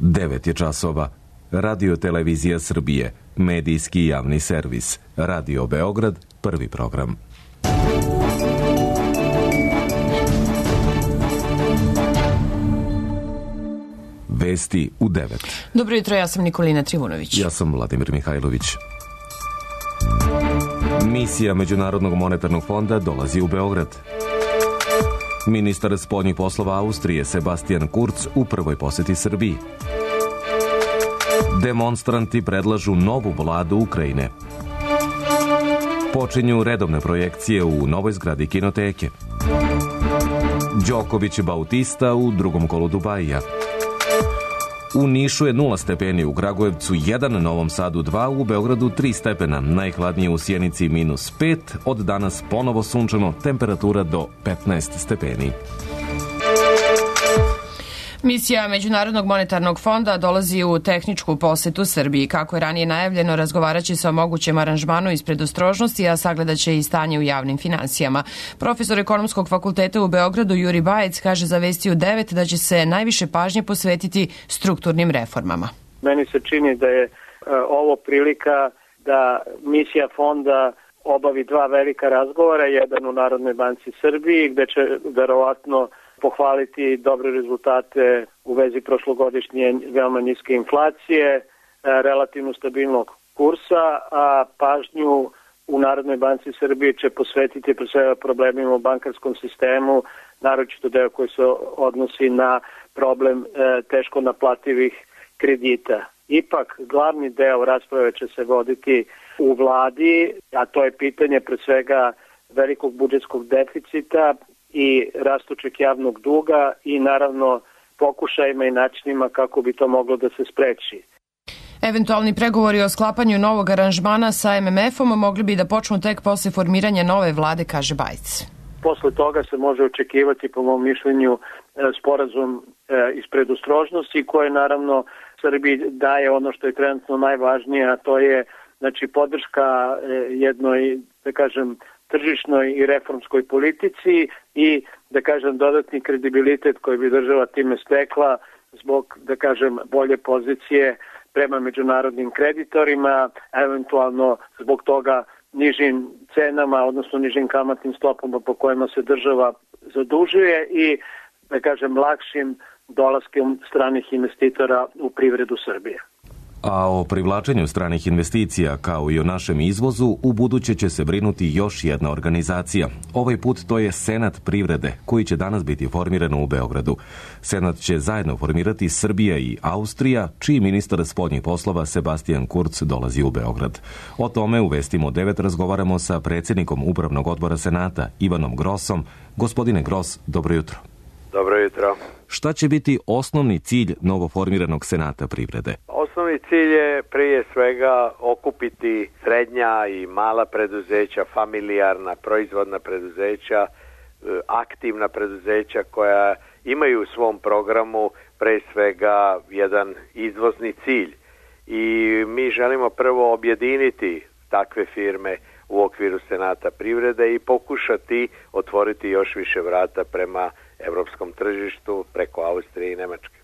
9 je časova. Radio Televizija Srbije, medijski javni servis. Radio Beograd, prvi program. Vesti u 9. Dobro jutro, ja sam Nikolina Trivunović. Ja sam Vladimir Mihajlović. Misija Međunarodnog monetarnog fonda dolazi u Beograd. Ministar spoljnih poslova Austrije Sebastian Kurz u prvoj poseti Srbiji. Demonstranti predlažu novu vladu Ukrajine. Počinju redovne projekcije u novoj zgradi kinoteke. Đoković Bautista u drugom kolu Dubajija. U Nišu je 0 stepeni, u Kragujevcu 1, Novom Sadu 2, u Beogradu 3 stepena, najhladnije u Sjenici -5, od danas ponovo sunčano, temperatura do 15 stepeni. Misija Međunarodnog monetarnog fonda dolazi u tehničku posetu Srbiji. Kako je ranije najavljeno, razgovarat će se o mogućem aranžmanu iz predostrožnosti, a sagledat će i stanje u javnim finansijama. Profesor Ekonomskog fakulteta u Beogradu Juri Bajec kaže za Vesti u 9 da će se najviše pažnje posvetiti strukturnim reformama. Meni se čini da je ovo prilika da misija fonda obavi 2 velika razgovora, jedan u Narodnoj banci Srbiji, gde će verovatno pohvaliti dobre rezultate u vezi prošlogodišnje veoma niske inflacije, relativno stabilnog kursa, a pažnju u Narodnoj banci Srbije će posvetiti pre svega problemima u bankarskom sistemu, naročito deo koji se odnosi na problem teško naplativih kredita. Ipak, glavni deo rasprave će se voditi u vladi, a to je pitanje pre svega velikog budžetskog deficita i rastućeg javnog duga i naravno pokušajima i načinima kako bi to moglo da se spreči. Eventualni pregovori o sklapanju novog aranžmana sa MMF-om mogli bi da počnu tek posle formiranja nove vlade, kaže Bajc. Posle toga se može očekivati, po mom mišljenju, sporazum iz predostrožnosti koje naravno Srbiji daje ono što je trenutno najvažnije, a to je podrška jednoj, da kažem, tržišnoj i reformskoj politici i, da kažem, dodatni kredibilitet koji bi država time stekla zbog, da kažem, bolje pozicije prema međunarodnim kreditorima, eventualno zbog toga nižim cenama, odnosno nižim kamatnim stopama po kojima se država zadužuje i, da kažem, lakšim dolaskom stranih investitora u privredu Srbije. A o privlačenju stranih investicija, kao i o našem izvozu, u buduće će se brinuti još jedna organizacija. Ovaj put to je Senat privrede, koji će danas biti formiran u Beogradu. Senat će zajedno formirati Srbija i Austrija, čiji ministar spoljnih poslova Sebastian Kurz dolazi u Beograd. O tome u Vestima 9 razgovaramo sa predsjednikom Upravnog odbora Senata, Ivanom Grosom. Gospodine Gros, dobro jutro. Dobro jutro. Šta će biti osnovni cilj novoformiranog Senata privrede? Osnovni cilj je prije svega okupiti srednja i mala preduzeća, familijarna, proizvodna preduzeća, aktivna preduzeća koja imaju u svom programu pre svega jedan izvozni cilj. I mi želimo prvo objediniti takve firme u okviru Senata privrede i pokušati otvoriti još više vrata prema evropskom tržištu preko Austrije i Nemačke.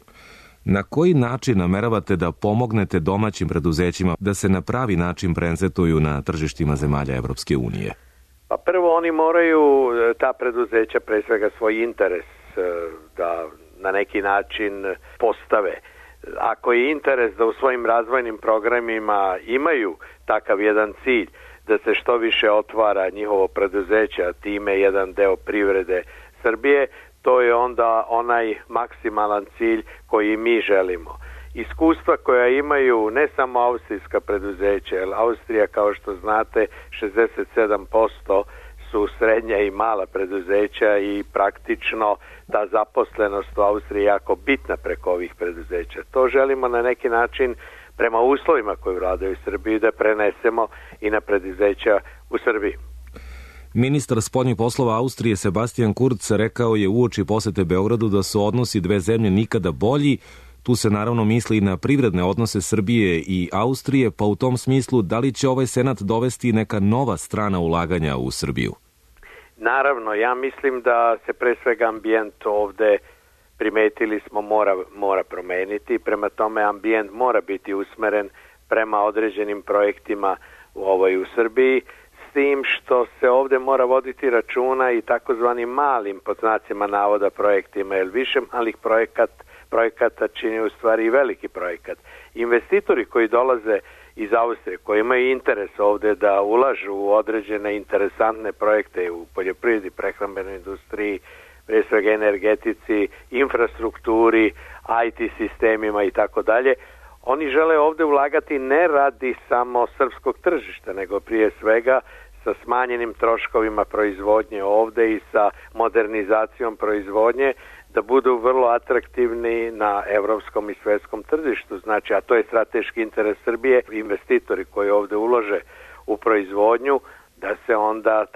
Na koji način nameravate da pomognete domaćim preduzećima da se na pravi način prezentuju na tržištima zemalja Evropske unije? Pa prvo oni moraju, ta preduzeća, pre svega svoj interes da na neki način postave. Ako je interes da u svojim razvojnim programima imaju takav jedan cilj, da se što više otvara njihovo preduzeće, a time jedan deo privrede Srbije, to je onda onaj maksimalan cilj koji mi želimo. Iskustva koja imaju ne samo austrijska preduzeća, jer Austrija, kao što znate, 67% su srednja i mala preduzeća i praktično ta zaposlenost u Austriji jako bitna preko ovih preduzeća. To želimo na neki način prema uslovima koji vladaju u Srbiji da prenesemo i na preduzeća u Srbiji. Ministar spoljnih poslova Austrije Sebastian Kurz rekao je uoči posete Beogradu da su odnosi dve zemlje nikada bolji. Tu se naravno misli i na privredne odnose Srbije i Austrije, pa u tom smislu da li će ovaj senat dovesti neka nova strana ulaganja u Srbiju? Naravno, ja mislim da se pre svega ambijent ovde primetili smo mora promeniti, prema tome ambijent mora biti usmeren prema određenim projektima u Srbiji, s tim što se ovde mora voditi računa i takozvanim malim, pod znacima navoda, projektima, jer više malih projekata čini u stvari i veliki projekat. Investitori koji dolaze iz Austrije, koji imaju interes ovde da ulažu u određene interesantne projekte u poljoprivredi, prehrambenoj industriji, pre svega energetici, infrastrukturi, IT sistemima i tako dalje, oni žele ovde ulagati ne radi samo srpskog tržišta, nego prije svega sa smanjenim troškovima proizvodnje ovde i sa modernizacijom proizvodnje, da budu vrlo atraktivni na evropskom i svetskom tržištu. Znači, a to je strateški interes Srbije, investitori koji ovde ulože u proizvodnju, da se onda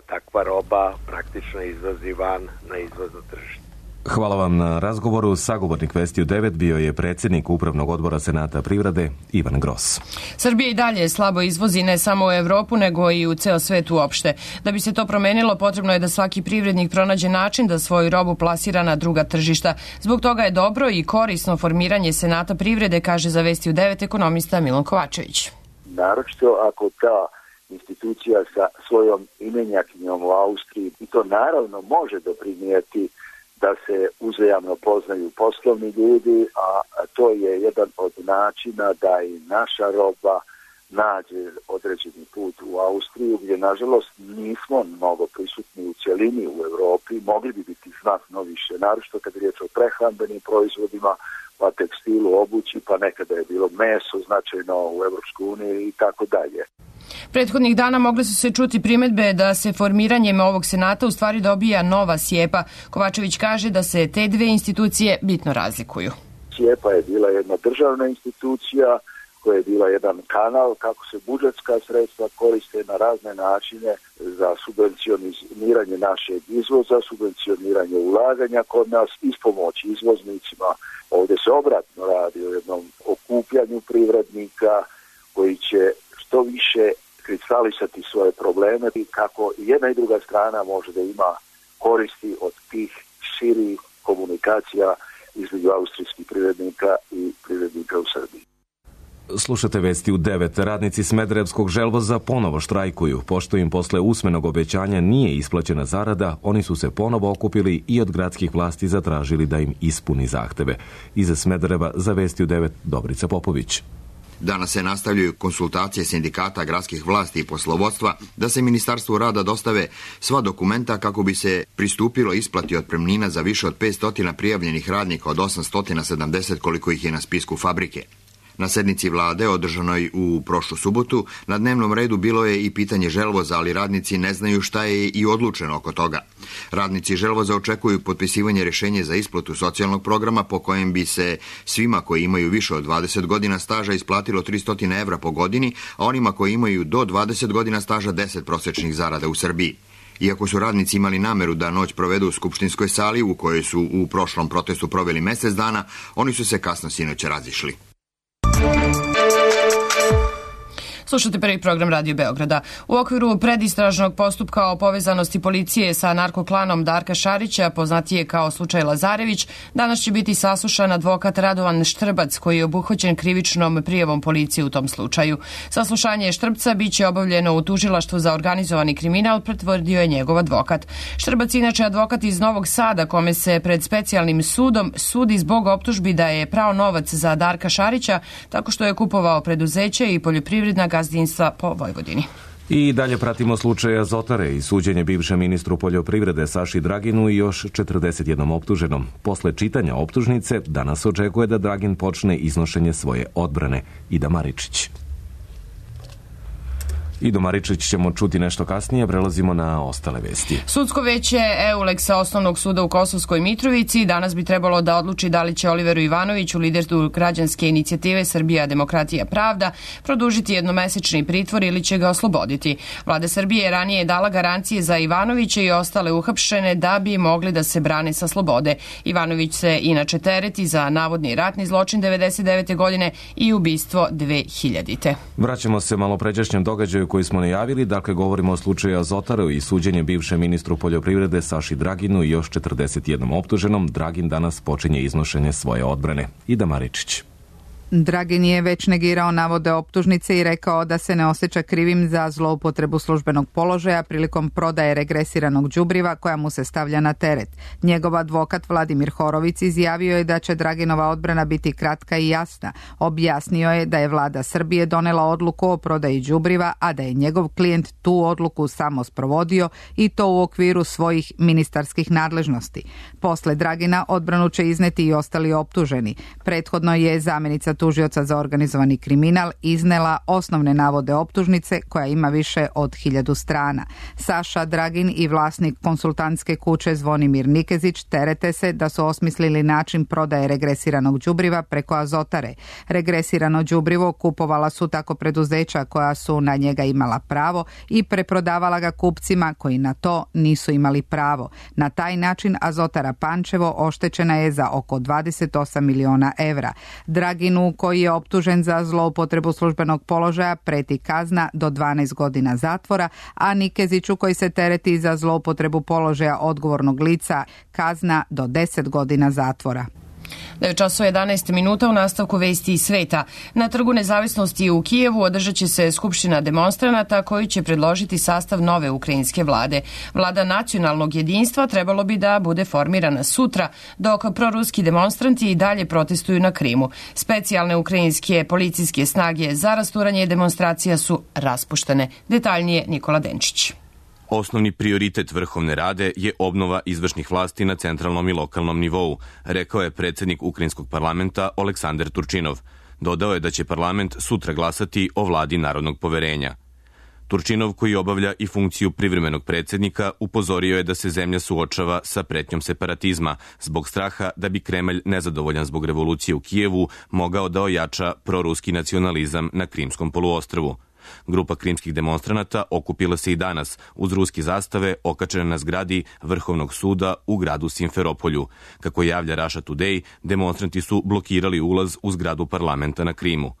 takva roba praktično izvozi van na izvozno tržište. Hvala vam na razgovoru. Sagovornik Vesti u 9 bio je predsjednik Upravnog odbora Senata privrede Ivan Gros. Srbija i dalje slabo izvozi ne samo u Evropu, nego i u ceo svet uopšte. Da bi se to promenilo, potrebno je da svaki privrednik pronađe način da svoju robu plasira na druga tržišta. Zbog toga je dobro i korisno formiranje Senata privrede, kaže za Vesti u 9 ekonomista Milan Kovačević. Naročito ako ta institucija sa svojom imenjakinjom u Austriji, i to naravno može doprinijeti da se uzajamno poznaju poslovni ljudi, a to je jedan od načina da i naša roba nađe određeni put u Austriju, gdje nažalost nismo mnogo prisutni u cjelini u Europi, mogli bi biti znatno više, naročito kad je riječ o prehrambenim proizvodima, pa tekstilu, obući, pa nekada je bilo meso značajno u Evropskoj uniji i tako dalje. Prethodnih dana mogle su se čuti primedbe da se formiranjem ovog senata u stvari dobija nova SIEPA. Kovačević kaže da se te dve institucije bitno razlikuju. SIEPA je bila jedna državna institucija koja je bila jedan kanal kako se budžetska sredstva koriste na razne načine za subvencioniranje našeg izvoza, subvencioniranje ulaganja kod nas, ispomoći izvoznicima. Ovdje se obratno radi o jednom okupljanju privrednika koji će što više kristalisati svoje probleme i kako jedna i druga strana može da ima koristi od tih širih komunikacija između austrijskih privrednika i privrednika u Srbiji. Slušate Vesti u 9. Radnici Smederevskog želvoza ponovo štrajkuju. Pošto im posle usmenog obećanja nije isplaćena zarada, oni su se ponovo okupili i od gradskih vlasti zatražili da im ispuni zahteve. Iza Smedereva za Vesti u 9 Dobrica Popović. Danas se nastavljaju konsultacije sindikata, gradskih vlasti i poslovodstva da se Ministarstvu rada dostave sva dokumenta kako bi se pristupilo isplati otpremnina za više od 500 prijavljenih radnika od 870 koliko ih je na spisku fabrike. Na sednici vlade, održanoj u prošlu subotu, na dnevnom redu bilo je i pitanje želvoza, ali radnici ne znaju šta je i odlučeno oko toga. Radnici želvoza očekuju potpisivanje rješenja za isplatu socijalnog programa po kojem bi se svima koji imaju više od 20 godina staža isplatilo 300 evra po godini, a onima koji imaju do 20 godina staža 10 prosječnih zarada u Srbiji. Iako su radnici imali nameru da noć provedu u skupštinskoj sali u kojoj su u prošlom protestu proveli mjesec dana, oni su se kasno sinoć razišli. Slušate prvi program Radio Beograda. U okviru predistražnog postupka o povezanosti policije sa narkoklanom Darka Šarića, poznatije kao slučaj Lazarević, danas će biti saslušan advokat Radovan Štrbac, koji je obuhvaćen krivičnom prijavom policije u tom slučaju. Saslušanje Štrpca biće obavljeno u tužilaštvu za organizovani kriminal, pretvrdio je njegov advokat. Štrbac inače advokat iz Novog Sada, kome se pred specijalnim sudom sudi zbog optužbi da je prao novac za Darka Šarića tako što je kupovao preduzeće i poljoprivredna gazdinstva po Vojvodini. I dalje pratimo slučaj Azotare i suđenje bivšem ministru poljoprivrede Saši Draginu i još 41 optuženom. Posle čitanja optužnice danas očekuje da Dragin počne iznošenje svoje odbrane. Ida Maričić. Ido Maričić ćemo čuti nešto kasnije, prelazimo na ostale vesti. Sudsko veće EULEX-a Osnovnog suda u Kosovskoj Mitrovici danas bi trebalo da odluči da li će Oliveru Ivanoviću, lideru građanske inicijative Srbija, demokratija, pravda, produžiti jednomesečni pritvor ili će ga osloboditi. Vlada Srbije je ranije dala garancije za Ivanovića i ostale uhapšene da bi mogli da se brane sa slobode. Ivanović se inače tereti za navodni ratni zločin 1999. godine i ubistvo 2000. Vraćamo se malopređašnjem događaju koji smo najavili, dakle govorimo o slučaju Azotaru i suđenje bivšem ministru poljoprivrede Saši Draginu i još 41 optuženom. Dragin danas počinje iznošenje svoje odbrane. Ida Maričić. Dragin je već negirao navode optužnice i rekao da se ne osjeća krivim za zloupotrebu službenog položaja prilikom prodaje regresiranog đubriva koja mu se stavlja na teret. Njegov advokat Vladimir Horović izjavio je da će Draginova odbrana biti kratka i jasna. Objasnio je da je vlada Srbije donela odluku o prodaji đubriva, a da je njegov klijent tu odluku samo sprovodio i to u okviru svojih ministarskih nadležnosti. Posle Dragina odbranu će izneti i ostali optuženi. Prethodno je zamjenica tužioca za organizovani kriminal iznela osnovne navode optužnice koja ima više od 1000 strana. Saša Dragin i vlasnik konsultantske kuće Zvonimir Nikezić terete se da su osmislili način prodaje regresiranog đubriva preko Azotare. Regresirano đubrivo kupovala su tako preduzeća koja su na njega imala pravo i preprodavala ga kupcima koji na to nisu imali pravo. Na taj način Azotara Pančevo oštećena je za oko 28 miliona evra. Draginu, koji je optužen za zloupotrebu službenog položaja, preti kazna do 12 godina zatvora, a Nikeziću, koji se tereti za zloupotrebu položaja odgovornog lica, kazna do 10 godina zatvora. 9:11 u nastavku vesti iz sveta. Na Trgu nezavisnosti u Kijevu održat će se skupština demonstranata koji će predložiti sastav nove ukrajinske vlade. Vlada nacionalnog jedinstva trebalo bi da bude formirana sutra, dok proruski demonstranti i dalje protestuju na Krimu. Specijalne ukrajinske policijske snage za rasturanje demonstracija su raspuštene. Detaljnije Nikola Denčić. Osnovni prioritet Vrhovne rade je obnova izvršnih vlasti na centralnom i lokalnom nivou, rekao je predsjednik Ukrajinskog parlamenta Oleksandar Turčinov. Dodao je da će parlament sutra glasati o vladi narodnog poverenja. Turčinov, koji obavlja i funkciju privremenog predsjednika, upozorio je da se zemlja suočava sa pretnjom separatizma zbog straha da bi Kremelj, nezadovoljan zbog revolucije u Kijevu, mogao da ojača proruski nacionalizam na Krimskom poluostrvu. Grupa krimskih demonstranata okupila se i danas uz ruske zastave okačene na zgradi Vrhovnog suda u gradu Simferopolju. Kako javlja Russia Today, demonstranti su blokirali ulaz u zgradu parlamenta na Krimu.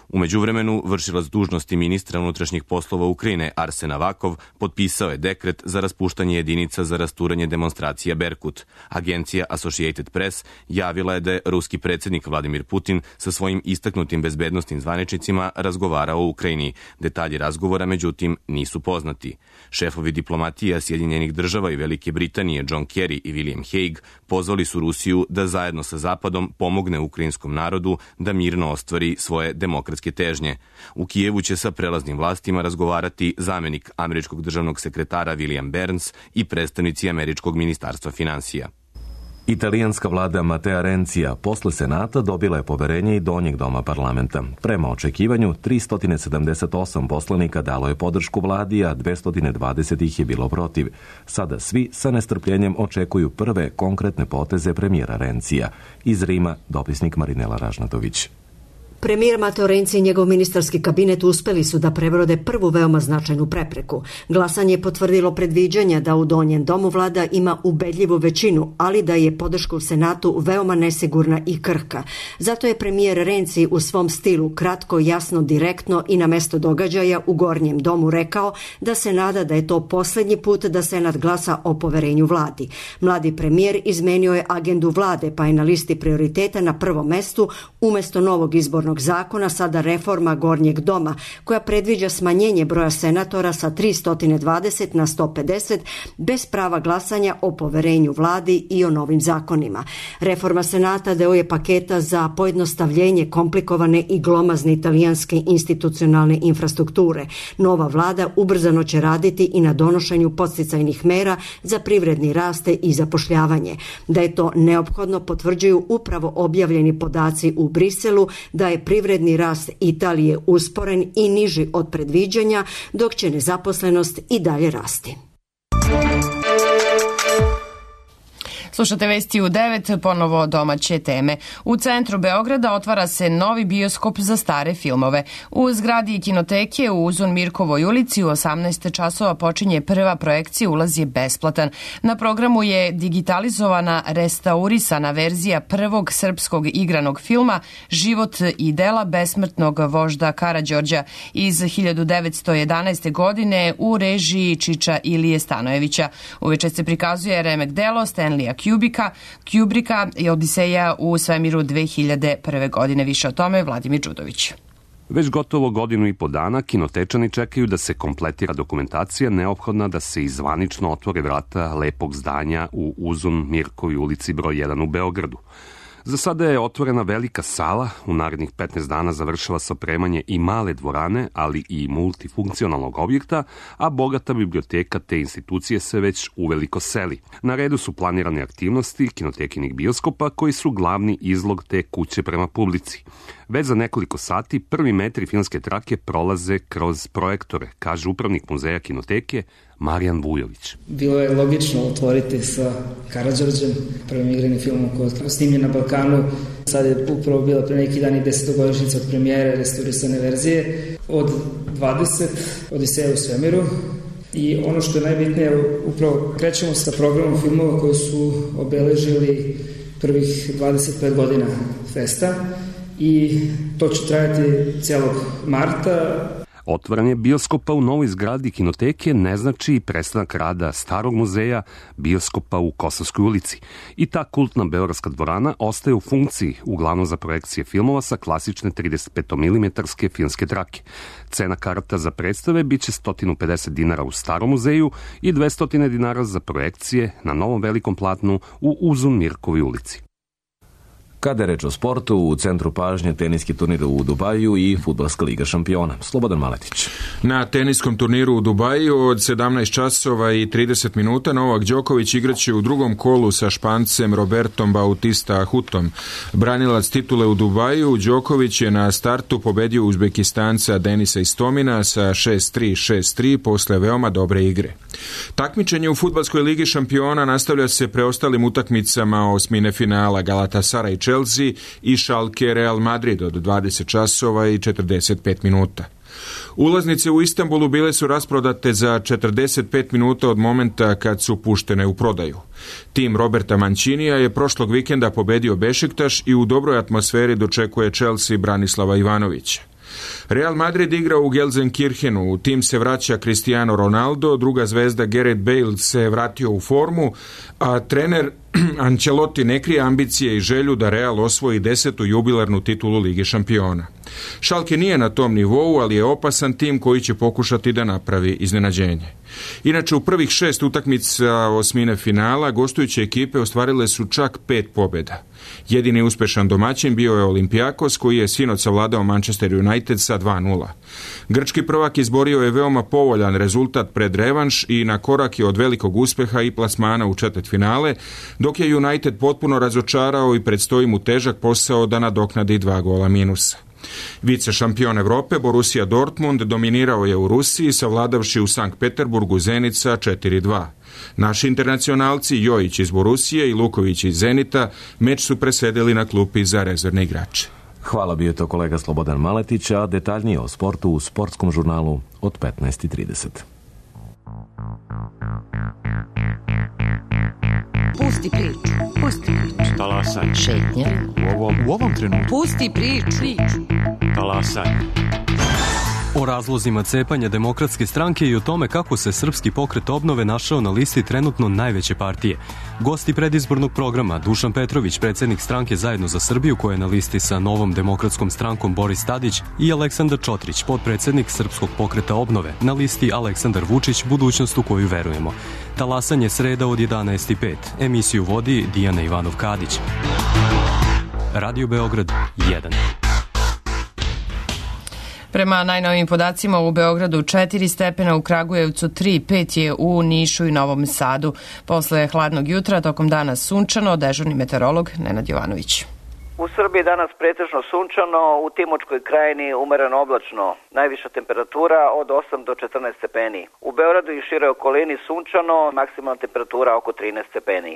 U međuvremenu, vršilac dužnosti ministra unutrašnjih poslova Ukrajine Arsen Avakov potpisao je dekret za raspuštanje jedinica za rasturanje demonstracija Berkut. Agencija Associated Press javila je da je ruski predsjednik Vladimir Putin sa svojim istaknutim bezbednosnim zvaničnicima razgovarao o Ukrajini. Detalji razgovora, međutim, nisu poznati. Šefovi diplomatija Sjedinjenih država i Velike Britanije John Kerry i William Hague pozvali su Rusiju da zajedno sa Zapadom pomogne ukrajinskom narodu da mirno ostvari svoje demokratske težnje. U Kijevu će sa prelaznim vlastima razgovarati zamjenik američkog državnog sekretara William Burns i predstavnici američkog ministarstva financija. Italijanska vlada Matea Renzija posle Senata dobila je poverenje i donjeg doma parlamenta. Prema očekivanju, 378 poslanika dalo je podršku vladi, a 220 ih je bilo protiv. Sada svi sa nestrpljenjem očekuju prve konkretne poteze premijera Renzija. Iz Rima, dopisnik Marinela Ražnatović. Premijer Matteo Renzi i njegov ministarski kabinet uspeli su da prebrode prvu veoma značajnu prepreku. Glasanje je potvrdilo predviđanja da u donjem domu vlada ima ubedljivu većinu, ali da je podrška u Senatu veoma nesigurna i krhka. Zato je premijer Renzi u svom stilu kratko, jasno, direktno i na mesto događaja u gornjem domu rekao da se nada da je to posljednji put da Senat glasa o poverenju vladi. Mladi premijer izmenio je agendu vlade, pa je na listi prioriteta na prvom mestu umjesto novog izbornog zakona sada reforma gornjeg doma koja predviđa smanjenje broja senatora sa 320 na 150 bez prava glasanja o poverenju vladi i o novim zakonima. Reforma Senata deo je paketa za pojednostavljenje komplikovane i glomazne italijanske institucionalne infrastrukture. Nova vlada ubrzano će raditi i na donošenju podsticajnih mera za privredni rast i zapošljavanje. Da je to neophodno potvrđuju upravo objavljeni podaci u Briselu da je privredni rast Italije usporen i niži od predviđanja, dok će nezaposlenost i dalje rasti. Slušate vesti u 9, ponovo domaće teme. U centru Beograda otvara se novi bioskop za stare filmove. U zgradi kinoteke u Uzun Mirkovoj ulici u 18 časova počinje prva projekcija, ulaz je besplatan. Na programu je digitalizovana restaurisana verzija prvog srpskog igranog filma Život i dela besmrtnog vožda Karađorđa iz 1911. godine u režiji Čiča Ilije Stanojevića. Uveče se prikazuje remek delo Stanleya Kubricka i Odiseja u svemiru 2001. godine. Više o tome Vladimir Đudović. Već gotovo godinu i po dana kinotečani čekaju da se kompletira dokumentacija neophodna da se izvanično otvore vrata lepog zdanja u Uzun Mirkovoj ulici broj 1 u Beogradu. Za sada je otvorena velika sala, u narednih 15 dana završava se opremanje i male dvorane, ali i multifunkcionalnog objekta, a bogata biblioteka te institucije se već uveliko seli. Na redu su planirane aktivnosti kinotekinih bioskopa koji su glavni izlog te kuće prema publici. Već za nekoliko sati prvi metri filmske trake prolaze kroz projektore, kaže upravnik muzeja kinoteke Marijan Vujović. Bilo je logično otvoriti sa Karađorđem, prvim igranim filmom koji je snimljen na Balkanu. Sad je upravo bila pre neki dan i 10-godišnjica od premijere restaurisane verzije. Od 20 Odiseja u svemiru. I ono što je najbitnije, upravo krećemo sa programom filmova koji su obeležili prvih 25 godina festa i to će trajati cijelog marta. Otvaranje bioskopa u novoj zgradi kinoteke ne znači prestanak rada starog muzeja bioskopa u Kosovskoj ulici. I ta kultna beogradska dvorana ostaje u funkciji, uglavnom za projekcije filmova sa klasične 35 mm filmske trake. Cena karata za predstave biće 150 dinara u starom muzeju i 200 dinara za projekcije na novom velikom platnu u Uzun Mirkovoj ulici. Kada je reč o sportu, u centru pažnje teniski turnir u Dubaju i Fudbalska liga šampiona. Slobodan Maletić. Na teniskom turniru u Dubaju od 17 časova i 30 minuta Novak Đoković igraće u drugom kolu sa Špancem Robertom Bautista Hutom. Branilac titule u Dubaju, Đoković je na startu pobedio Uzbekistanca Denisa Istomina sa 6-3, 6-3 posle veoma dobre igre. Takmičenje u Fudbalskoj ligi šampiona nastavlja se preostalim utakmicama osmine finala Galatasaray Chelsea i Schalke Real Madrid od 20 časova i 45 minuta. Ulaznice u Istanbulu bile su rasprodate za 45 minuta od momenta kad su puštene u prodaju. Tim Roberta Mancinija je prošlog vikenda pobedio Bešiktaš i u dobroj atmosferi dočekuje Chelsea Branislava Ivanovića. Real Madrid igra u Gelsenkirchenu, u tim se vraća Cristiano Ronaldo, druga zvezda Gareth Bale se vratio u formu, a trener Ancelotti ne krije ambicije i želju da Real osvoji 10. jubilarnu titulu Lige šampiona. Schalke nije na tom nivou, ali je opasan tim koji će pokušati da napravi iznenađenje. Inače, u prvih 6 utakmica osmine finala gostujuće ekipe ostvarile su čak 5 pobjeda. Jedini uspešan domaćin bio je Olympiakos koji je sinoć savladao Manchester United sa 2-0. Grčki prvak izborio je veoma povoljan rezultat pred revanš i na korak je od velikog uspeha i plasmana u četvrtfinale, dok je United potpuno razočarao i predstoji mu težak posao da nadoknadi 2 gola minusa. Vice šampion Evrope Borussia Dortmund dominirao je u Rusiji savladavši u Sankt Peterburgu Zenica 4-2. Naši internacionalci Jojić iz Borusije i Luković iz Zenita meč su presedeli na klupi za rezervne igrače. Hvala, bio to kolega Slobodan Maletić, a detaljnije o sportu u sportskom žurnalu od 15:30. Pusti priču. Pusti priču. Talasaj. Šetnja. U ovom trenutku. Pusti priču. Talasaj. O razlozima cepanja Demokratske stranke i o tome kako se Srpski pokret obnove našao na listi trenutno najveće partije. Gosti predizbornog programa Dušan Petrović, predsjednik stranke Zajedno za Srbiju, koja je na listi sa Novom demokratskom strankom Boris Tadić, i Aleksandar Čotrić, potpredsjednik Srpskog pokreta obnove, na listi Aleksandar Vučić, budućnost u koju verujemo. Talasanje sreda od 11:05. Emisiju vodi Dijana Ivanov-Kadić. Radio Beograd 1. Prema najnovijim podacima u Beogradu 4 stepena, u Kragujevcu 3, 5 je u Nišu i Novom Sadu. Posle hladnog jutra, tokom dana sunčano, dežurni meteorolog Nenad Jovanović. U Srbiji danas pretežno sunčano, u Timočkoj krajini umereno oblačno. Najviša temperatura od 8 do 14 stepeni. U Beogradu i široj okolini sunčano, maksimalna temperatura oko 13 stepeni.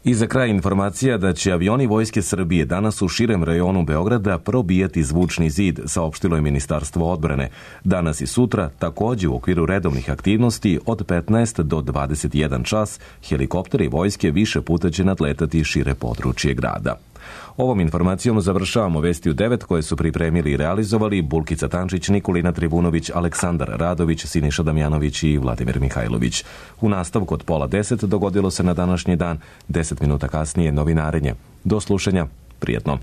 I za kraj informacija da će avioni Vojske Srbije danas u širem rajonu Beograda probijati zvučni zid, saopštilo je Ministarstvo odbrane. Danas i sutra, takođe u okviru redovnih aktivnosti, od 15 do 21 čas, helikopteri vojske više puta će nadletati šire područje grada. Ovom informacijom završavamo Vesti u 9 koje su pripremili i realizovali Bulkica Tančić, Nikolina Tribunović, Aleksandar Radović, Siniša Damjanović i Vladimir Mihajlović. U nastavku od 9:30 dogodilo se na današnji dan, 10 minuta kasnije novinarenje. Do slušanja, prijetno.